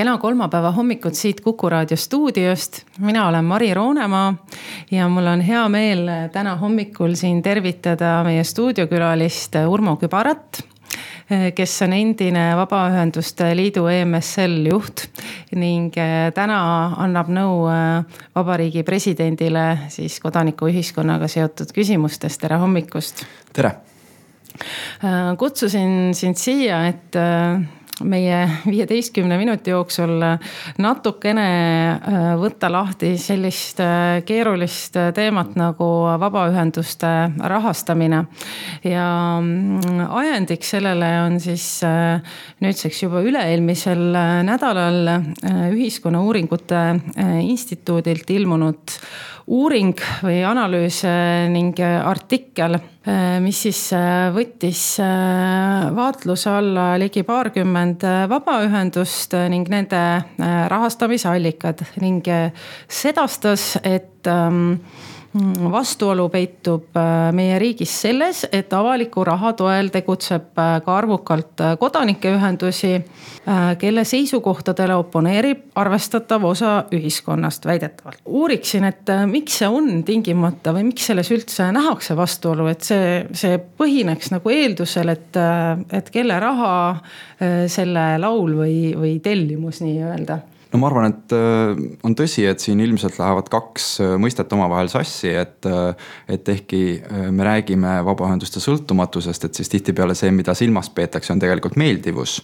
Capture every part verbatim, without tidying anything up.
Kena kolmapäeva hommikut siit Kuku Raadio stuudiost. Mina olen Mari Roonemaa ja mul on hea meel täna hommikul siin tervitada meie stuudiokülalist Urmo Kübarat, kes on endine Vabaühenduste Liidu E M S L juht ning täna annab nõu Vabariigi presidendile siis kodanikuühiskonnaga seotud küsimustest. Tere hommikust! Tere! Kutsusin sind siia, et meie viieteistkümne minuti jooksul natukene võtta lahti sellist keerulist teemat nagu vabaühenduste rahastamine. Ja ajendiks sellele on siis nüüdseks juba üle-eelmisel nädalal Ühiskonna Uuringute Instituudilt ilmunud uuring või analüüs ning artikkel, mis siis võttis vaatluse alla ligi paarkümmend vabaühendust ning nende rahastamisallikad ning sedastas, et vastuolu peitub meie riigis selles, et avaliku raha toel tegutseb ka arvukalt kodanikeühendusi, kelle seisukohtadele oponeerib arvestatav osa ühiskonnast väidetavalt. Uuriksin, et miks see on tingimata või miks selles üldse nähakse vastuolu, et see, see põhineks nagu eeldusel, et, et kelle raha selle laul või, või tellimus nii öelda. No ma arvan, et on tõsi, et siin ilmselt lähevad kaks mõistet omavahel sassi, et, et ehkki me räägime vabaühenduste sõltumatusest, et siis tihtipeale see, mida silmas peetakse, on tegelikult meeldivus.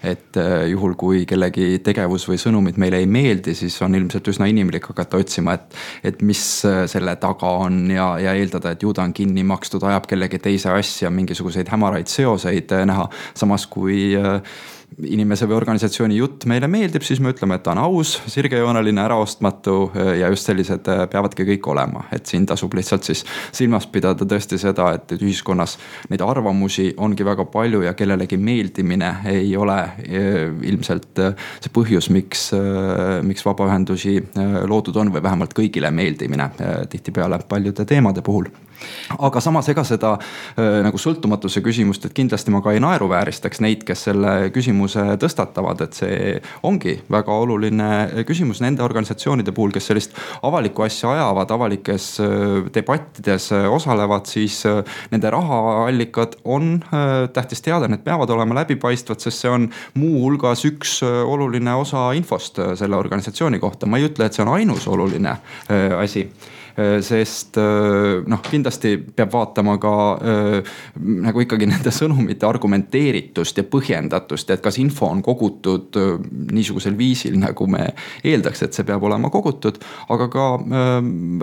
Et juhul, kui kellegi tegevus või sõnumid meile ei meeldi, siis on ilmselt üsna inimlik hakata otsima, et, et mis selle taga on ja, ja eeldada, et ju ta on kinni makstud, ajab kellegi teise asja, mingisuguseid hämaraid seoseid näha. Samas kui inimese või organisatsiooni jutt meile meeldib, siis me ütleme, et ta on aus, sirgejooneline, äraostmatu ja just sellised peavadki kõik olema. Et siin tasub lihtsalt siis silmas pidada tõesti seda, et ühiskonnas neid arvamusi ongi väga palju ja kellelegi meeldimine ei ole ilmselt see põhjus, miks, miks vabaühendusi loodud on või vähemalt kõigile meeldimine tihtipeale paljude teemade puhul. Aga samas ega seda nagu sõltumatuse küsimust, et kindlasti ma ka ei naeruvääristaks neid, kes selle küsimuse tõstatavad, et see ongi väga oluline küsimus nende organisatsioonide puhul, kes sellist avalikku asja ajavad, avalikes debattides osalevad, siis nende rahaallikad on tähtis teada, need peavad olema läbipaistvad, sest see on muu hulgas üks oluline osa infost selle organisatsiooni kohta. Ma ei ütle, et see on ainus oluline asi. Sest noh, kindlasti peab vaatama ka äh, nagu ikkagi nende sõnumite argumenteeritust ja põhjendatust, et kas info on kogutud äh, niisugusel viisil, nagu me eeldaks, et see peab olema kogutud, aga ka äh,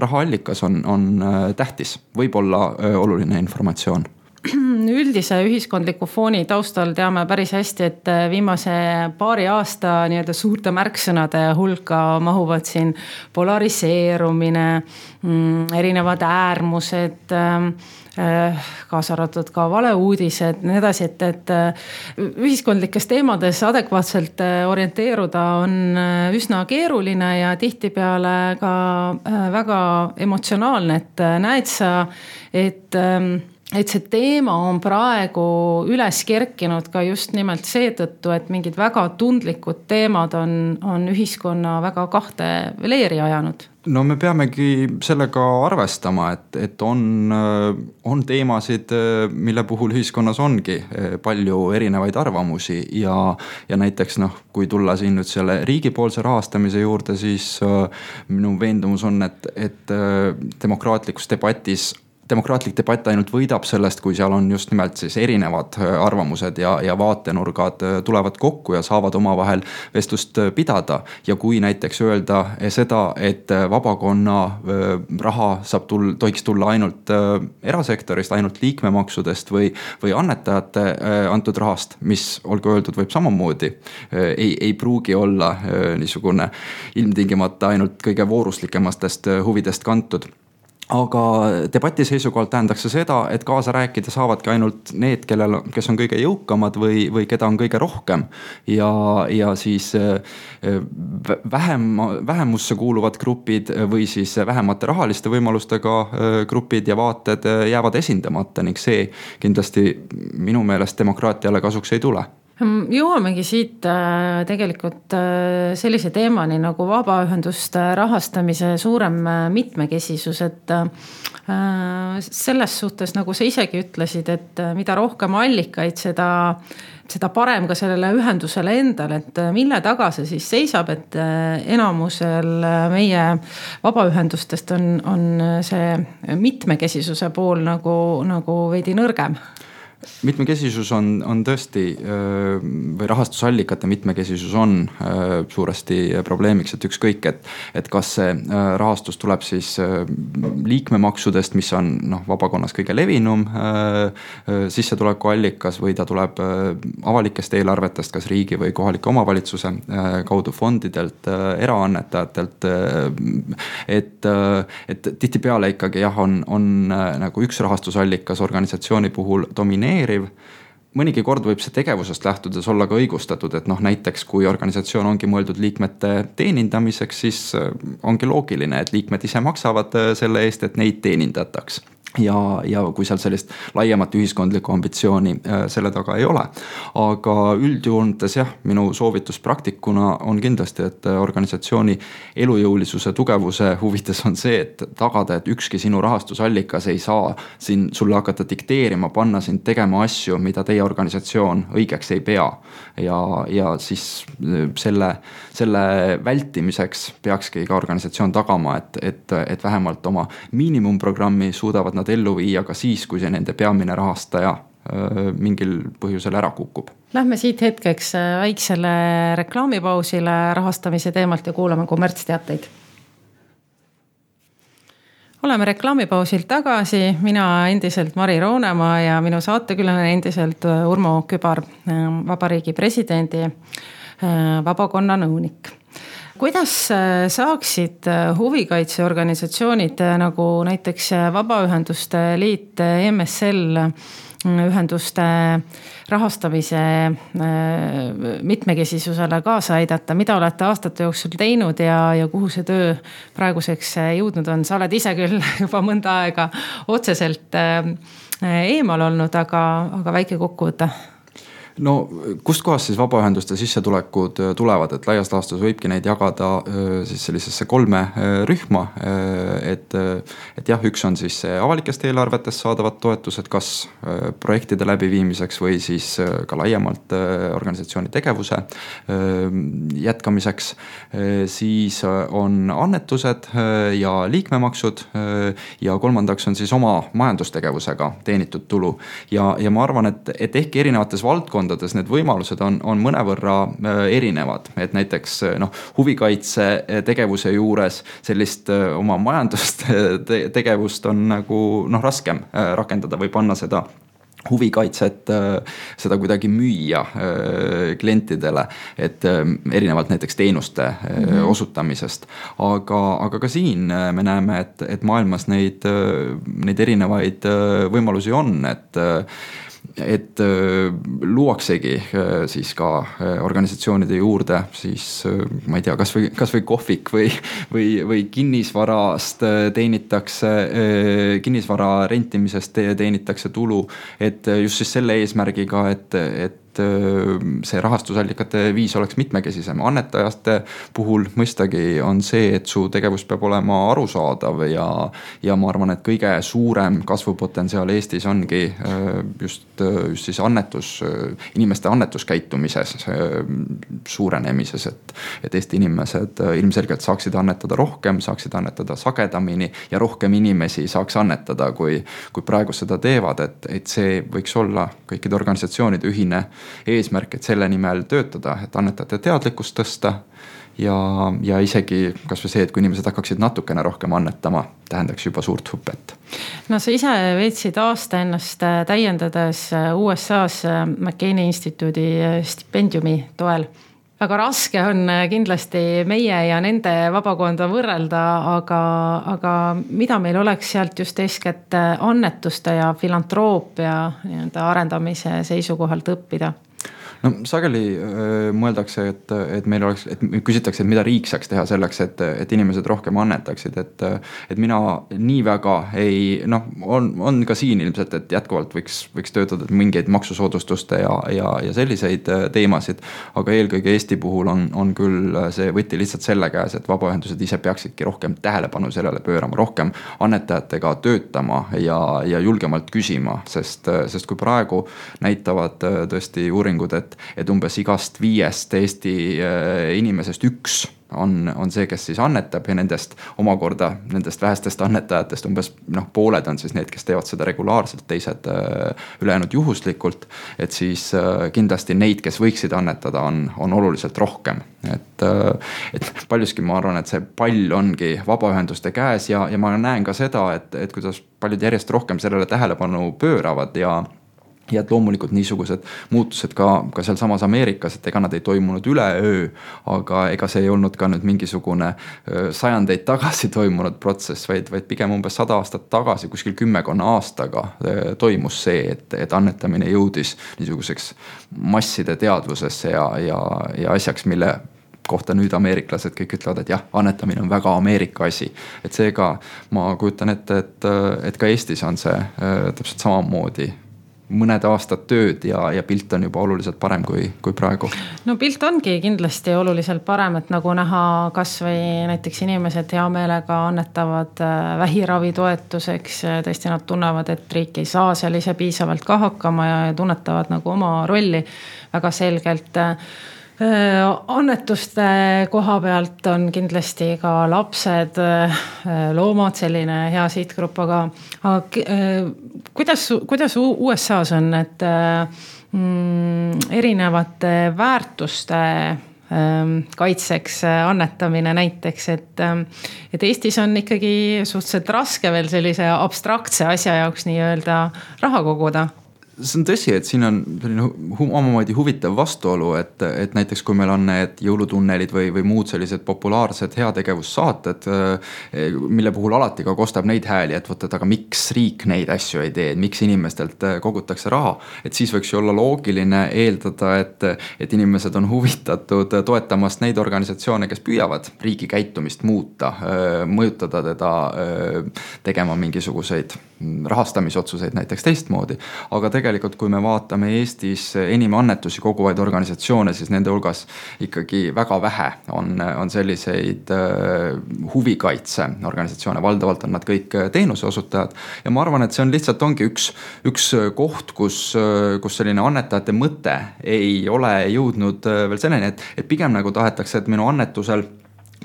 rahaallikas on, on äh, tähtis, võib olla äh, oluline informatsioon. Üldise ühiskondliku fooni taustal teame päris hästi, et viimase paari aasta nii-öelda suurte märksõnade hulka mahuvad siin polariseerumine, erinevad äärmused, kaasa arvatud ka valeuudised, nii edasi, et, et ühiskondlikes teemades adekvaatselt orienteeruda on üsna keeruline ja tihtipeale ka väga emotsionaalne, et näed sa, et et see teema on praegu üles kerkinud ka just nimelt seetõttu, et mingid väga tundlikud teemad on, on ühiskonna väga kahte leeri ajanud. No me peamegi sellega arvestama, et, et on, on teemasid, mille puhul ühiskonnas ongi palju erinevaid arvamusi ja, ja näiteks noh, kui tulla siin nüüd selle riigipoolse rahastamise juurde, siis minu veendumus on, et, et demokraatlikus debatis demokraatlik debatt ainult võidab sellest, kui seal on just nimelt siis erinevad arvamused ja, ja vaatenurgad tulevad kokku ja saavad omavahel vestlust pidada. Ja kui näiteks öelda seda, et vabakonna raha saab tulla, tohiks tulla ainult erasektorist, ainult liikmemaksudest või, või annetajate antud rahast, mis olgu öeldud võib samamoodi, ei, ei pruugi olla niisugune ilmtingimata ainult kõige vooruslikemastest huvidest kantud. Aga debati seisukohalt tähendaks see seda, et kaasa rääkida saavadki ainult need, kellel, kes on kõige jõukamad või, või keda on kõige rohkem. Ja, ja siis vähem, vähemusse kuuluvad grupid või siis vähemate rahaliste võimalustega grupid ja vaated jäävad esindamata ning see kindlasti minu meelest demokraatiale kasuks ei tule. Jõuamegi siit tegelikult sellise teemani nagu vabaühenduste rahastamise suurem mitmekesisus, et selles suhtes, nagu sa isegi ütlesid, et mida rohkem allikaid, seda, seda parem ka sellele ühendusele endale, et mille taga see siis seisab, et enamusel meie vabaühendustest on, on see mitmekesisuse pool nagu, nagu veidi nõrgem. Mitmekesisus on, on tõesti või rahastusallikate mitmekesisus on suuresti probleemiks, et ükskõik, et, et kas see rahastus tuleb siis liikmemaksudest, mis on noh, vabakonnas kõige levinum sissetuleku allikas või ta tuleb avalikest eelarvetest, kas riigi või kohalike omavalitsuse kaudu fondidelt, eraannetajatelt, et, et tihtipeale ikkagi jah, on, on nagu üks rahastusallikas organisatsiooni puhul domineeriv. Mõnigi kord võib see tegevusest lähtudes olla ka õigustatud, et noh, näiteks kui organisatsioon ongi mõeldud liikmete teenindamiseks, siis ongi loogiline, et liikmed ise maksavad selle eest, et neid teenindataks. Ja, ja kui seal sellist laiemat ühiskondlikku ambitsiooni selle taga ei ole. Aga üldjoontes jah, minu soovitus praktikuna on kindlasti, et organisatsiooni elujõulisuse tugevuse huvides on see, et tagada, et ükski sinu rahastusallikas ei saa siin sulle hakata dikteerima, panna sind tegema asju, mida teie organisatsioon õigeks ei pea. Ja, ja siis selle, selle vältimiseks peakski ka organisatsioon tagama, et, et, et vähemalt oma miinimumprogrammi suudavad nad ellu viia ka siis, kui see nende peamine rahastaja mingil põhjusel ära kukub. Lähme siit hetkeks väiksele reklaamipausile rahastamise teemalt ja kuulame kommertsteateid. Oleme reklaamipausilt tagasi, mina endiselt Mari Roonemaa ja minu saatekülaline endiselt Urmo Kübar, Vabariigi presidendi vabakonna nõunik. Kuidas saaksid huvikaitseorganisatsioonid nagu näiteks Vabaühenduste Liit, M S L ühenduste rahastamise mitmekesisusele kaasa aidata, mida olete aastate jooksul teinud ja, ja kuhu see töö praeguseks jõudnud on? Sa oled ise küll juba mõnda aega otseselt eemal olnud, aga, aga väike kokkuvõte. No kust kohast siis vabaühenduste sissetulekud tulevad, et laias laastus võibki neid jagada siis sellisesse kolme rühma, et, et jah, üks on siis avalikest eelarvetest saadavad toetused, kas projektide läbiviimiseks või siis ka laiemalt organisatsiooni tegevuse jätkamiseks, siis on annetused ja liikmemaksud ja kolmandaks on siis oma majandustegevusega teenitud tulu ja, ja ma arvan, et, et ehkki erinevates valdkondades need võimalused on, on mõnevõrra erinevad, et näiteks noh, huvikaitse tegevuse juures sellist oma majandust tegevust on nagu noh, raskem rakendada või panna seda huvikaitset, seda kuidagi müüa klientidele, et erinevalt näiteks teenuste mm-hmm. osutamisest. Aga, aga ka siin me näeme, et, et maailmas neid, neid erinevaid võimalusi on, et et luuaksegi siis ka organisatsioonide juurde siis ma ei tea, kas või, kas või kohvik või, või, või kinnisvarast teenitakse, kinnisvara rentimisest teenitakse tulu, et just siis selle eesmärgiga, et, et see rahastusallikate viis oleks mitmekesisem. Annetajaste puhul mõistagi on see, et su tegevus peab olema arusaadav ja, ja ma arvan, et kõige suurem kasvupotentsiaal Eestis ongi just, just siis annetus, inimeste annetuskäitumises suurenemises, et, et Eesti inimesed ilmselgelt saaksid annetada rohkem, saaksid annetada sagedamini ja rohkem inimesi saaks annetada, kui, kui praegu seda teevad, et, et see võiks olla kõikide organisatsioonide ühine eesmärk, et selle nimel töötada, et annetajate teadlikkust tõsta ja, ja isegi kas või see, et kui inimesed hakkaksid natukene rohkem annetama, tähendaks juba suurt hüpet. No sa ise veetsid aasta ennast täiendades U S A-s McCain instituudi stipendiumi toel. Väga raske on kindlasti meie ja nende vabakonda võrrelda, aga, aga mida meil oleks sealt just eeskätt annetuste ja filantroopia arendamise seisukohalt õppida? no sageli öö, mõeldakse, et, et meil oleks, et küsitakse, et mida riik saaks teha selleks, et, et inimesed rohkem annetaksid, et, et mina nii väga ei, noh, on, on ka siin ilmselt, et jätkuvalt võiks, võiks töötada mingeid maksusoodustuste ja, ja, ja selliseid teemasid, aga eelkõige Eesti puhul on, on küll see võti lihtsalt selle käes, et vabaühendused ise peaksidki rohkem tähelepanu sellele pöörama, rohkem annetajatega töötama ja, ja julgemalt küsima, sest, sest kui praegu näitavad tõesti uuringud, et et umbes igast viiest Eesti inimesest üks on, on see, kes siis annetab ja nendest omakorda, nendest vähestest annetajatest umbes noh, pooled on siis need, kes teevad seda regulaarselt, teised ülejäänud juhuslikult, et siis kindlasti neid, kes võiksid annetada, on, on oluliselt rohkem. Et, et paljuski ma arvan, et see pall ongi vabaühenduste käes ja, ja ma näen ka seda, et, et kuidas paljud järjest rohkem sellele tähelepanu pööravad ja ja et loomulikult niisugused muutused ka, ka seal samas Ameerikas, et ega nad ei toimunud üleöö, aga ega see ei olnud ka nüüd mingisugune sajandeid tagasi toimunud protsess, vaid, vaid pigem umbes sada aastat tagasi, kuskil kümmekonna aastaga toimus see, et, et annetamine jõudis niisuguseks masside teadvusesse ja, ja, ja asjaks, mille kohta nüüd ameeriklased kõik ütlevad, et jah, annetamine on väga Ameerika asi. Et seega ma kujutan ette, et, et ka Eestis on see täpselt samamoodi mõned aastad tööd ja, ja pilt on juba oluliselt parem kui, kui praegu. No pilt ongi kindlasti oluliselt parem, et nagu näha kas või näiteks inimesed hea meelega annetavad vähiravi toetuseks. Tõesti nad tunnevad, et riik ei saa seal ise piisavalt ka hakkama ja tunnetavad nagu oma rolli väga selgelt. Annetuste koha pealt on kindlasti ka lapsed, loomad, selline hea sihtgrupp, aga, aga kuidas, kuidas U S A-s on, et mm, erinevate väärtuste kaitseks annetamine näiteks, et, et Eestis on ikkagi suhteliselt raske veel sellise abstraktse asja jaoks nii öelda raha koguda? See on tõsi, et siin on omamoodi huvitav vastuolu, et, et näiteks kui meil on need jõulutunnelid või, või muud sellised populaarsed heategevussaated, mille puhul alati ka kostab neid hääli, et võtad, aga miks riik neid asju ei tee, miks inimestelt kogutakse raha, et siis võiks ju olla loogiline eeldada, et, et inimesed on huvitatud toetamast neid organisatsioone, kes püüavad riigi käitumist muuta, mõjutada teda tegema mingisuguseid rahastamisotsuseid näiteks teistmoodi, aga tegelikult kui me vaatame Eestis enim annetusi koguvaid organisatsioone, siis nende hulgas ikkagi väga vähe on, on selliseid huvikaitse organisatsioone, valdavalt on nad kõik teenuse osutajad ja ma arvan, et see on lihtsalt ongi üks, üks koht, kus, kus selline annetajate mõte ei ole jõudnud veel selleni, et, et pigem nagu tahetakse, et minu annetusel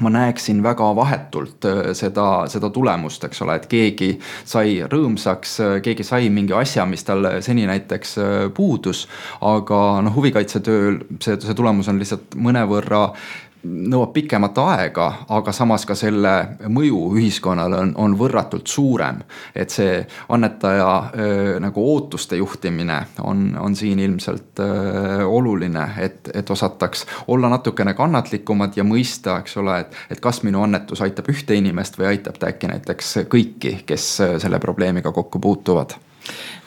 ma näeksin väga vahetult seda, seda tulemust, eks ole, et keegi sai rõõmsaks, keegi sai mingi asja, mis tal seni näiteks puudus, aga noh, huvikaitsetööl see, see tulemus on lihtsalt mõnevõrra nõuab pikemat aega, aga samas ka selle mõju ühiskonnale on, on võrratult suurem. Et see annetaja öö, nagu ootuste juhtimine on, on siin ilmselt öö, oluline, et, et osataks olla natukene kannatlikumad ja mõista, eks ole, et, et kas minu annetus aitab ühte inimest või aitab ta äkki näiteks kõiki, kes selle probleemiga kokku puutuvad.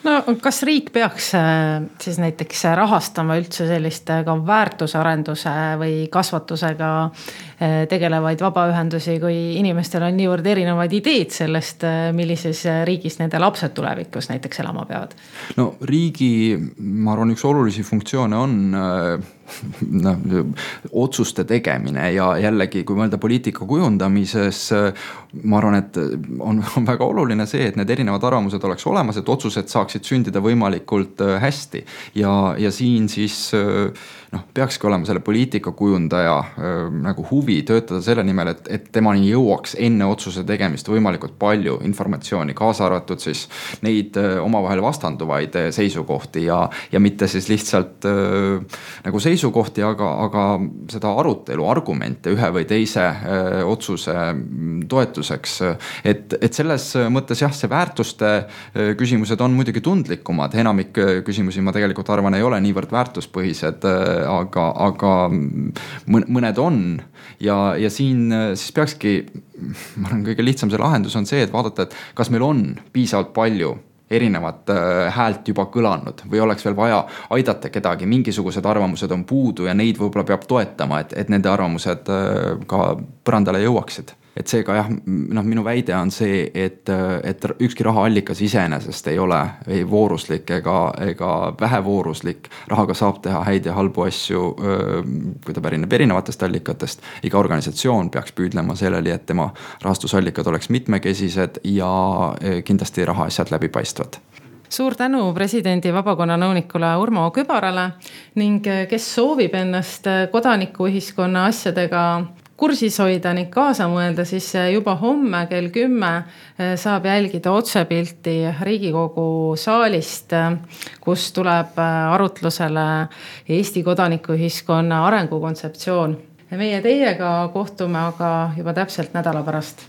No kas riik peaks siis näiteks rahastama üldse sellist ka väärtusarenduse või kasvatusega tegelevaid vabaühendusi, kui inimestel on niivõrd erinevaid ideed sellest, millises riigis nende lapsed tulevikus näiteks elama peavad? No riigi, ma arvan, üks olulisi funktsioone on no, otsuste tegemine ja jällegi, kui mõelda poliitika kujundamises, ma arvan, et on, on väga oluline see, et need erinevad arvamused oleks olemas, et otsused saaksid sündida võimalikult hästi ja, ja siin siis noh, peakski olema selle poliitika kujundaja nagu huvi töötada selle nimel, et, et temani jõuaks enne otsuse tegemist võimalikult palju informatsiooni, kaasa arvatud siis neid omavahel vastanduvaid seisukohti ja, ja mitte siis lihtsalt nagu seisukohti, aga, aga seda arutelu, argumente ühe või teise otsuse toetuseks. Et, et selles mõttes jah, see väärtuste küsimused on muidugi tundlikumad, enamik küsimusi ma tegelikult arvan ei ole niivõrd väärtuspõhised, aga, aga mõned on ja, ja siin siis peakski, ma arvan, kõige lihtsam see lahendus on see, et vaadata, et kas meil on piisavalt palju erinevat häält juba kõlanud või oleks veel vaja aidata kedagi, mingisugused arvamused on puudu ja neid võib-olla peab toetama, et, et nende arvamused ka põrandale jõuaksid. Et seega jah, noh, minu väide on see, et, et ükski rahaallikas iseenesest ei ole ei vooruslik ega, ega vähevooruslik. Rahaga saab teha häid ja halbu asju, kui ta pärineb erinevatest allikatest. Iga organisatsioon peaks püüdlema selleli, et tema rahastusallikad oleks mitmekesised ja kindlasti rahaasjad läbipaistvad. Suur tänu presidendi vabakonna nõunikule Urmo Kübarale ning kes soovib ennast kodanikuühiskonna asjadega kursis hoida ning kaasa mõelda, siis juba homme kell kümme saab jälgida otsepilti Riigikogu saalist, kus tuleb arutlusele Eesti kodanikuühiskonna arengukontseptsioon. Meie teiega kohtume aga juba täpselt nädala pärast.